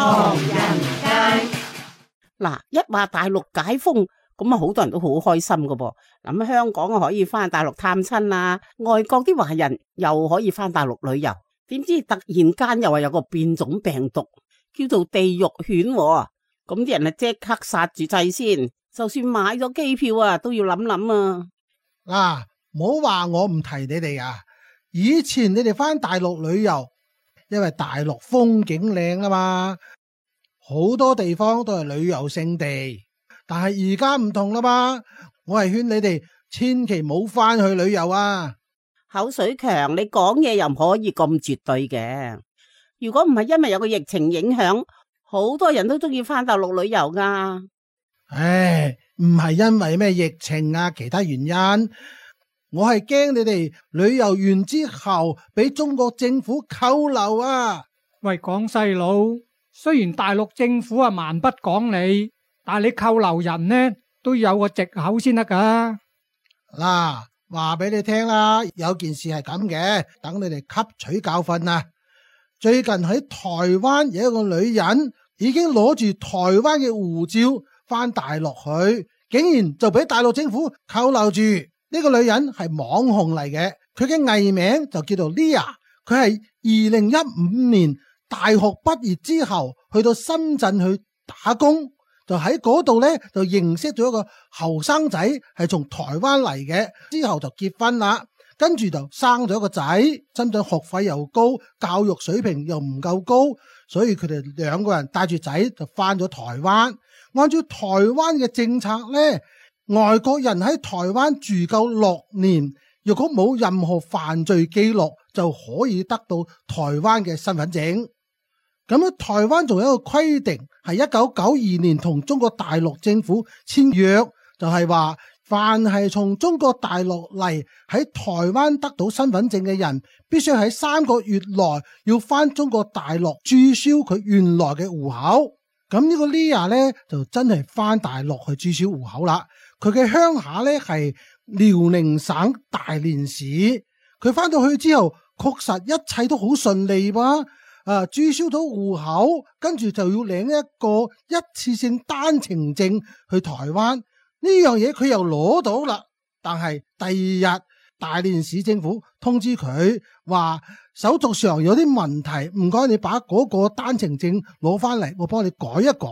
唐人街。嗱，一話大陸解封，咁啊好多人都好開心噶噃。咁香港可以翻大陸探親啊，外國啲華人又可以翻大陸旅遊。點知突然間又話有個變種病毒叫做地獄犬喎，咁啲人啊即刻剎住掣先，就算買咗機票啊都要諗諗啊。嗱，唔好話我唔提你哋啊！以前你哋翻大陸旅遊，因為大陸風景靚啊嘛，好多地方都係旅遊勝地。但係而家唔同啦嘛，我係勸你哋千祈唔好翻去旅遊啊！口水強，你講嘢又唔可以咁絕對嘅。如果唔係因為有個疫情影響，好多人都中意翻大陸旅遊噶。唉，唔係因為咩疫情啊，其他原因，我係驚你哋旅遊完之後俾中國政府扣留啊！喂，廣西佬，雖然大陸政府啊蠻不講理，但係你扣留人呢都有個藉口先得噶。嗱，話俾你聽啦，有件事係咁嘅，等你哋吸取教訓啊！最近喺台灣有一個女人已經攞住台灣嘅護照翻大陸去，竟然就俾大陸政府扣留住。呢個女人係網紅嚟嘅，佢嘅藝名就叫做 Lia。佢係2015年大學畢業之後去到深圳去打工，就喺嗰度呢，就認識咗一個後生仔，係從台灣嚟嘅，之後就結婚啦，跟住就生咗個仔。深圳學費又高，教育水平又唔夠高，所以佢哋兩個人帶住仔就翻咗台灣。按照台灣嘅政策呢，外國人喺台灣住夠6年，如果冇任何犯罪記錄，就可以得到台灣嘅身份證。咁樣台灣仲有一個規定，係1992年同中國大陸政府簽約，就係話凡係從中國大陸嚟喺台灣得到身份證嘅人，必須喺3個月內要翻中國大陸註銷佢原來嘅戶口。咁呢個 Lia 呢，就真係翻大陸去註銷戶口啦。佢嘅鄉下呢，係遼寧省大連市。佢翻到去之後，確實一切都好順利噃。註銷到戶口，跟住就要領一個一次性單程證去台灣。呢樣嘢佢又攞到啦。但係第二日大連市政府通知佢話手續上有啲問題，唔該你把嗰個單程證攞翻嚟，我幫你改一改。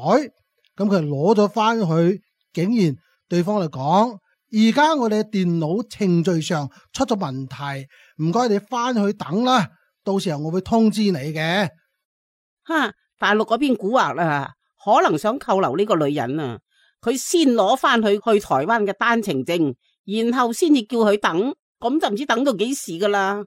咁佢攞咗翻去，竟然對方嚟講，而家我哋電腦程序上出咗問題，唔該你翻去等啦，到時候我會通知你嘅。大陸嗰邊蠱惑啦，可能想扣留呢個女人啊，佢先攞翻去台灣嘅單程證，然後先至叫佢等，咁就唔知等到幾時噶啦。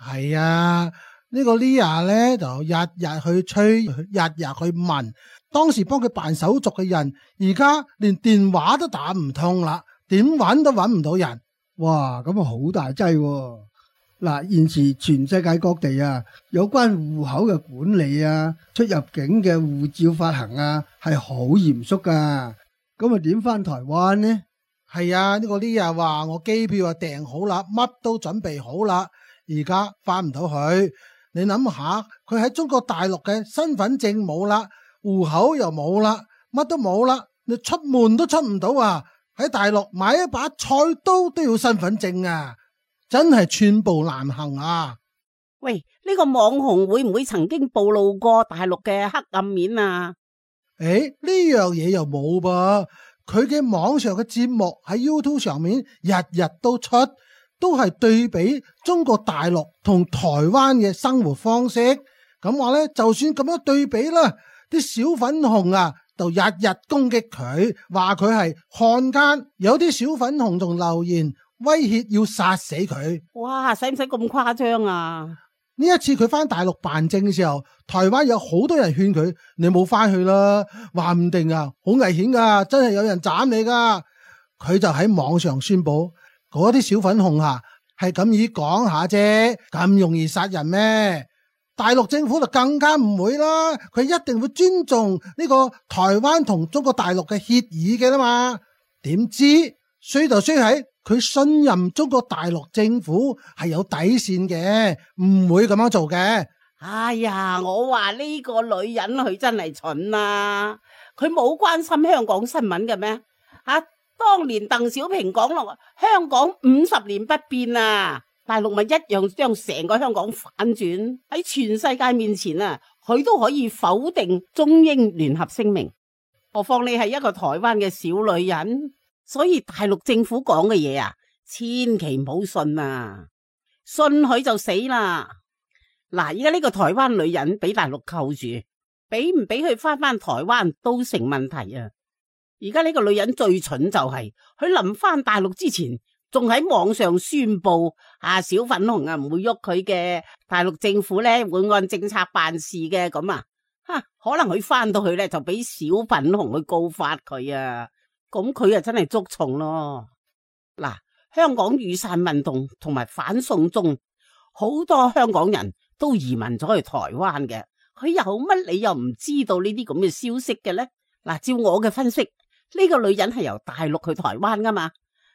係啊，呢個 Lia 呢，就日日去催，日日去問，當時幫佢辦手續嘅人，而家連電話都打唔通啦，點搵都搵唔到人。哇，咁啊好大劑喎！嗱，現時全世界各地啊，有關戶口嘅管理啊，出入境嘅護照發行啊，係好嚴肅噶。咁啊，點翻台灣呢？係啊，呢個 Lia 話我機票啊訂好啦，乜都準備好啦，而家翻唔到去。你諗下，佢喺中國大陸嘅身份證冇啦，戶口又冇啦，乜都冇啦，你出門都出唔到啊！喺大陸買一把菜刀都要身份證啊！真係寸步難行啊！喂，呢個網紅會唔會曾經暴露過大陸嘅黑暗面啊？呢樣嘢又冇噃，佢嘅網上嘅節目喺 YouTube 上面日日都出，都係對比中國大陸同台灣嘅生活方式。咁話呢，就算咁樣對比啦，啲小粉紅啊，就日日攻擊佢，話佢係漢奸。有啲小粉紅仲留言威脅要殺死佢。哇，使唔使咁誇張啊？呢一次佢翻大陸辦證嘅時候，台灣有好多人勸佢，你冇翻去啦，話唔定啊，好危險噶，真係有人斬你噶。佢就喺網上宣布，嗰啲小粉紅啊，係咁意講下啫，咁容易殺人咩？大陸政府就更加唔會啦，佢一定會尊重呢個台灣同中國大陸嘅協議嘅啦嘛。點知衰就衰喺佢信任中國大陸政府係有底線嘅，唔會咁樣做嘅。哎呀，我話呢個女人佢真係蠢啊！佢冇關心香港新聞嘅咩？當年鄧小平講落香港50年不變啊，大陸咪一樣將成個香港反轉，喺全世界面前啊，佢都可以否定中英聯合聲明。何況你係一個台灣嘅小女人，所以大陸政府講嘅嘢啊，千祈唔好信啊！信佢就死啦！嗱，而家呢個台灣女人俾大陸扣住，俾唔俾佢翻台灣都成問題啊！而家呢個女人最蠢就係佢臨翻大陸之前，仲喺網上宣布小粉紅唔會喐佢嘅，大陸政府咧會按政策辦事嘅咁啊！可能佢翻到去咧就俾小粉紅去告發佢啊！咁佢啊真係捉蟲咯！嗱，香港雨傘運動同埋反送中，好多香港人都移民咗去台灣嘅，佢有乜理由唔知道呢啲咁嘅消息嘅呢？嗱，照我嘅分析，呢個女人係由大陸去台灣噶嘛，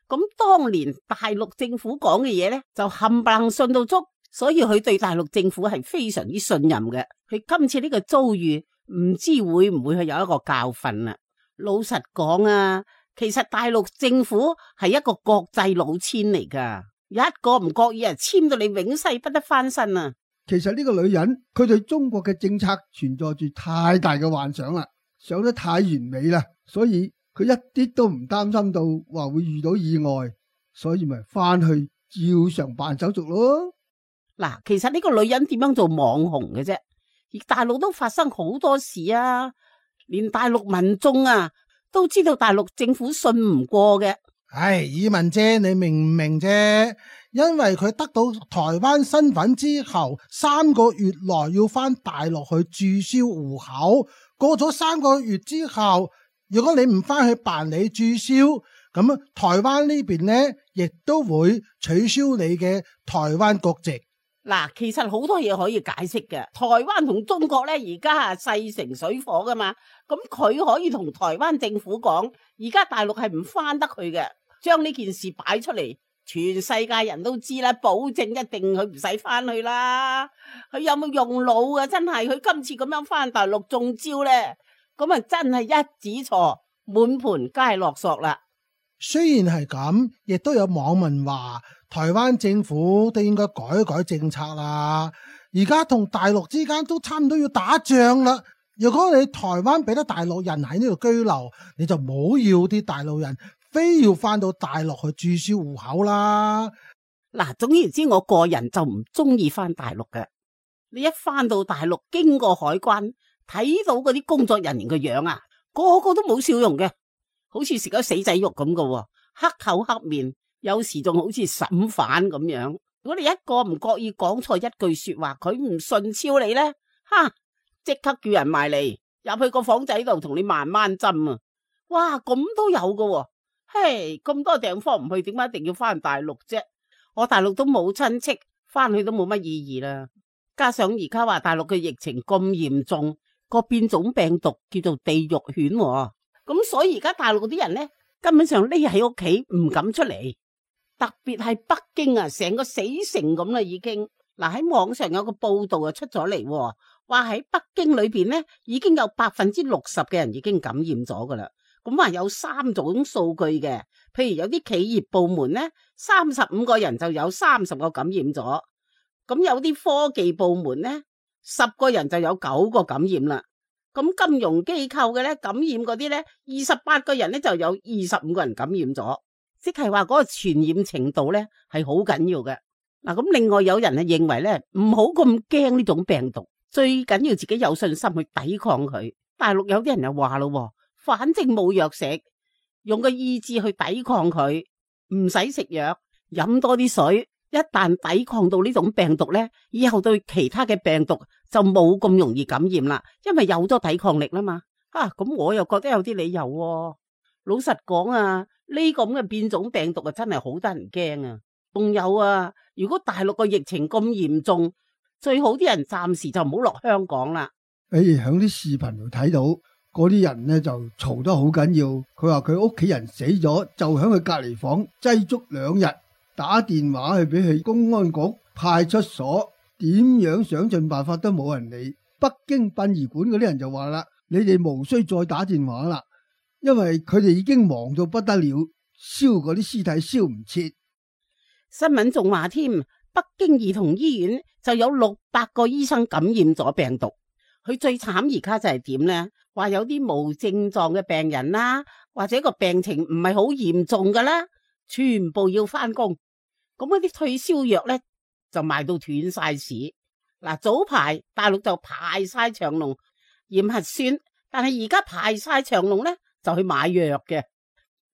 咁當年大陸政府講嘅嘢呢，就冚唪唥信到足，所以佢對大陸政府係非常之信任嘅。佢今次呢個遭遇，唔知會唔會係有一個教訓啊？老實講啊，其實大陸政府係一個國際老千嚟噶，一個唔覺意簽到你永世不得翻身啊！其實呢個女人佢對中國嘅政策存在住太大嘅幻想啦，想得太完美啦，所以佢一啲都唔擔心到話會遇到意外，所以咪翻去照常辦手續咯。嗱，其實呢個女人點樣做網紅嘅啫？而大陸都發生好多事啊，連大陸民眾啊都知道大陸政府信唔過嘅。唉，以文姐，你明唔明啫？因為佢得到台灣身份之後，3個月內要翻大陸去註銷戶口。過咗3個月之後，如果你唔翻去辦理註銷，咁台灣呢邊呢亦都會取消你嘅台灣國籍。嗱，其實好多嘢可以解釋嘅。台灣同中國咧而家係勢成水火噶嘛，咁佢可以同台灣政府講，而家大陸係唔翻得去嘅，將呢件事擺出嚟，全世界人都知啦，保證一定佢唔使翻去啦。佢有冇用腦啊？真係佢今次咁樣翻大陸中招咧，咁啊真係一指錯，滿盤皆落索啦。雖然係咁，亦都有網民話台灣政府都應該改改政策啦。而家同大陸之間都差唔多要打仗啦。如果你台灣俾得大陸人喺呢度居留，你就唔好要啲大陸人非要翻到大陸去註銷戶口啦。嗱，總言之，我個人就唔中意翻大陸嘅。你一翻到大陸，經過海關，睇到嗰啲工作人員嘅樣啊，個個都冇笑容嘅。好似食咗死仔肉咁嘅，黑口黑面，有時仲好似審犯咁樣。如果你一個唔覺意講錯一句說話，佢唔順超你呢，即刻叫人埋嚟入去個房仔度同你慢慢斟啊！哇，咁都有嘅，嘿，咁多地方唔去，點解一定要翻大陸啫？我大陸都冇親戚，翻去都冇乜意義啦。加上而家話大陸嘅疫情咁嚴重，個變種病毒叫做地獄犬喎。咁所以而家大陸啲人呢，根本上匿喺屋企唔敢出嚟，特別係北京啊，成個死城咁啦已經。嗱，喺網上有個報道啊出咗嚟，話喺北京裏邊呢，已經有60%嘅人已經感染咗噶啦。咁話有3種數據嘅，譬如有啲企業部門呢，35個人就有30個感染咗，咁有啲科技部門呢，10個人就有9個感染啦。咁金融機構嘅咧感染嗰啲咧，28個人咧就有25個人感染咗，即係話嗰個傳染程度咧係好緊要嘅。嗱，咁另外有人係認為咧唔好咁驚呢種病毒，最緊要自己有信心去抵抗佢。大陸有啲人又話咯，反正冇藥食，用個意志去抵抗佢，唔使食藥，飲多啲水。一旦抵抗到呢種病毒呢，以後對其他嘅病毒就冇咁容易感染啦，因為有咗抵抗力啦嘛。咁我又覺得有啲理由喎。老實講啊，呢個咁嘅變種病毒啊，真係好得人驚啊。仲有啊，如果大陸個疫情咁嚴重，最好啲人暫時就唔好落香港啦。喺啲視頻度睇到嗰啲人呢就嘈得好緊要，佢話佢屋企人死咗，就喺佢隔離房擠足2日。打電話去俾佢公安局派出所點樣想盡辦法都冇人理。北京殯儀館嗰啲人就話啦，你哋無需再打電話啦，因為佢哋已經忙到不得了，燒嗰啲屍體燒唔切。新聞仲話添，北京兒童醫院就有600個醫生感染咗病毒。佢最慘而家就係點呢？話有啲無症狀嘅病人啦，或者個病情唔係好嚴重噶啦，全部要翻工。咁嗰啲退燒藥呢，就賣到斷晒市。嗱，早排大陸就排晒長龍驗核酸，但係而家排晒長龍呢，就去買藥嘅，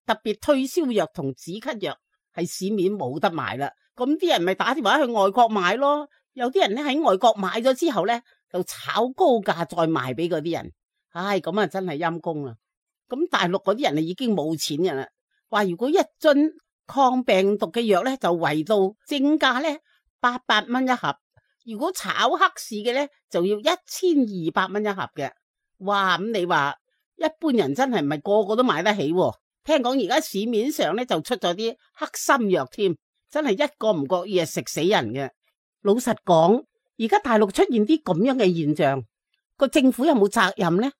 特別退燒藥同止咳藥係市面冇得賣啦。咁啲人咪打電話去外國買咯。有啲人咧喺外國買咗之後呢，就炒高價再賣俾嗰啲人。唉，咁啊真係陰公啦。咁大陸嗰啲人啊已經冇錢嘅啦，話如果一樽抗病毒嘅藥呢，就圍到正價呢800蚊一盒。如果炒黑市嘅呢，就要1200蚊一盒嘅。哇，咁你話一般人真係唔係個個都買得起喎。聽講而家市面上呢，就出咗啲黑心藥添，真係一個唔覺意係食死人嘅。老實講，而家大陸出現啲咁樣嘅現象，個政府有冇責任呢？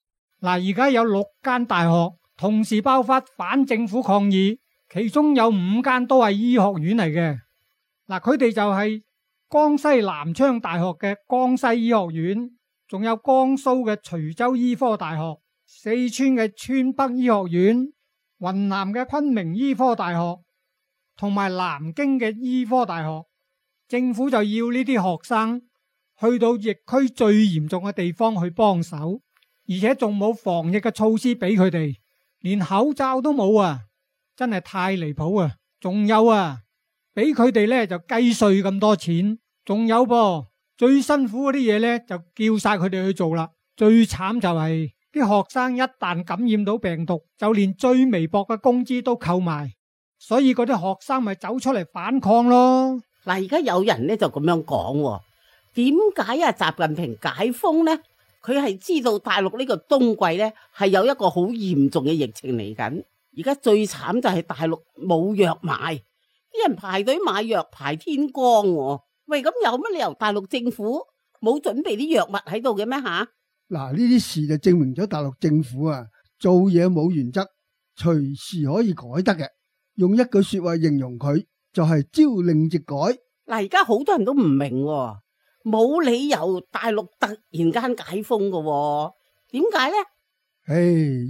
嗱，而家有6間大學同時爆發反政府抗議，其中有5間都係醫學院嚟嘅。嗱，佢哋就係江西南昌大學嘅江西醫學院，仲有江蘇嘅徐州醫科大學、四川嘅川北醫學院、雲南嘅昆明醫科大學，同埋南京嘅醫科大學。政府就要呢啲學生去到疫區最嚴重嘅地方去幫手，而且仲冇防疫嘅措施俾佢哋，連口罩都冇啊！真係太離譜啊！仲有啊，俾佢哋呢就計稅咁多錢，仲有噃，最辛苦嗰啲嘢呢就叫晒佢哋去做啦。最慘就係啲學生一旦感染到病毒，就連最微薄嘅工資都扣埋，所以嗰啲學生咪走出嚟反抗咯。嗱，而家有人呢就咁樣講，點解啊習近平解封呢？佢係知道大陸呢個冬季呢係有一個好嚴重嘅疫情嚟緊。而家最慘就係大陸冇藥買，啲人排隊買藥排天光。喂，咁有乜理由大陸政府冇準備啲藥物喺度嘅咩吓？嗱，呢啲事就證明咗大陸政府啊做嘢冇原則，隨時可以改得嘅。用一句說話形容佢，就係朝令夕改。嗱，而家好多人都唔明，冇理由大陸突然間解封嘅，點解呢？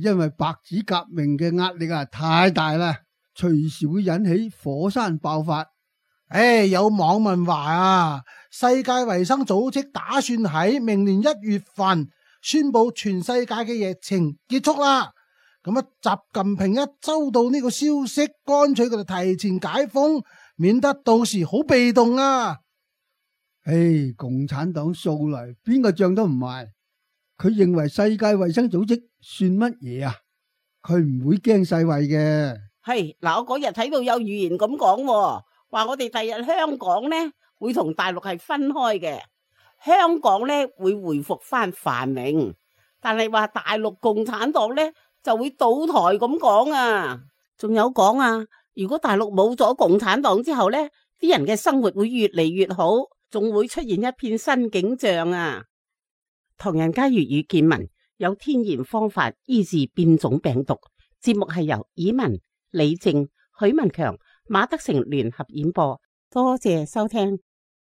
因為白紙革命嘅壓力啊太大啦，隨時會引起火山爆發。有網民話啊，世界衛生組織打算喺明年1月份宣布全世界嘅疫情結束啦。咁啊，習近平一收到呢個消息，乾脆佢就提前解封，免得到時好被動啊！共產黨素嚟邊個仗都唔賣，佢認為世界衛生組織算乜嘢啊？佢唔會驚世衛嘅。嗱，我嗰日睇到有預言咁講，話我哋第日香港呢會同大陸係分開嘅，香港呢會回復翻繁榮，但係話大陸共產黨呢就會倒台咁講啊！仲有講啊，如果大陸冇咗共產黨之後呢，啲人嘅生活會越嚟越好，仲會出現一片新景象啊！唐人街粵語見聞有天然方法醫治變種病毒，節目係由以文、李靜、許文強、馬德成聯合演播，多謝收聽。